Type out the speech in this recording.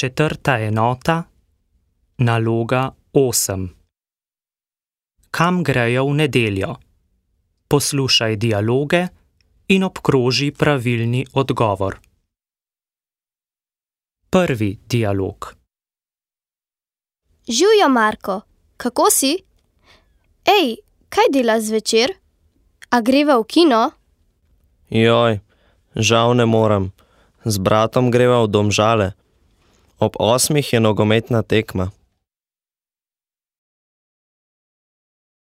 Četrta enota, naloga 8. Kam grejo v nedeljo? Poslušaj dialoge in obkroži pravilni odgovor. Prvi dialog. Živjo, Marko, kako si? Ej, kaj delaš zvečer? A greva v kino? Joj, žal ne morem. Z bratom greva v Domžale. Ob 8 je nogometna tekma.